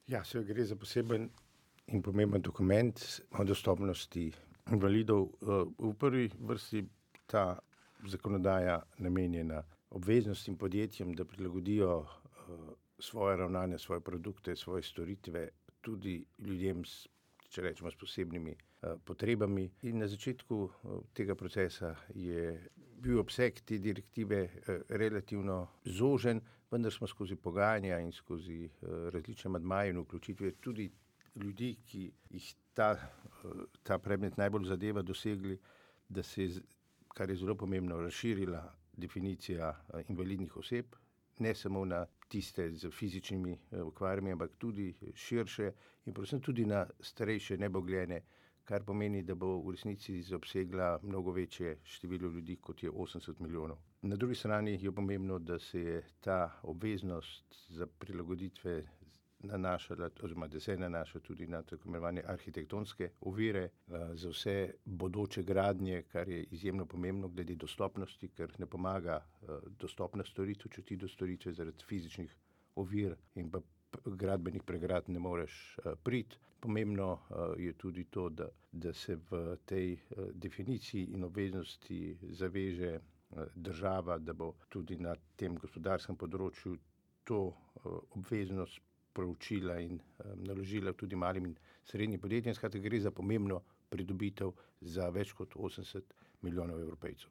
Ja, se gre za poseben in pomemben dokument o dostopnosti invalidov. V prvi vrsti ta zakonodaja namenjena obveznostim podjetjem, da prilagodijo svoje ravnanje, svoje produkte, svoje storitve tudi ljudem s posebnimi potrebami. In na začetku tega procesa je bil obseg te direktive relativno zožen, vendar smo skozi pogajanja in skozi različne amandmaje in vključitve tudi ljudi, ki jih ta predmet najbolj zadeva, dosegli, da se je, kar je zelo pomembno, razširila definicija invalidnih oseb, ne samo na tiste z fizičnimi okvarami, ampak tudi širše in predvsem tudi na starejše nebogljene, kar pomeni, da bo v resnici zaobsegla mnogo večje število ljudi, kot je 80 milijonov. Na drugi strani je pomembno, da se je ta obveznost za prilagoditve nanašala, oziroma da se nanaša tudi na tako imenovane arhitektonske ovire za vse bodoče gradnje, kar je izjemno pomembno glede dostopnosti, ker ne pomaga dostopna storitev, če ti do storitve zaradi fizičnih ovir in pa gradbenih pregrad ne moreš priti. Pomembno je tudi to, da se v tej definiciji in obveznosti zaveže država, da bo tudi na tem gospodarskem področju to obveznost proučila in naložila tudi malim in srednjim podjetjem. Skratka, gre za pomembno pridobitev za več kot 80 milijonov Evropejcev.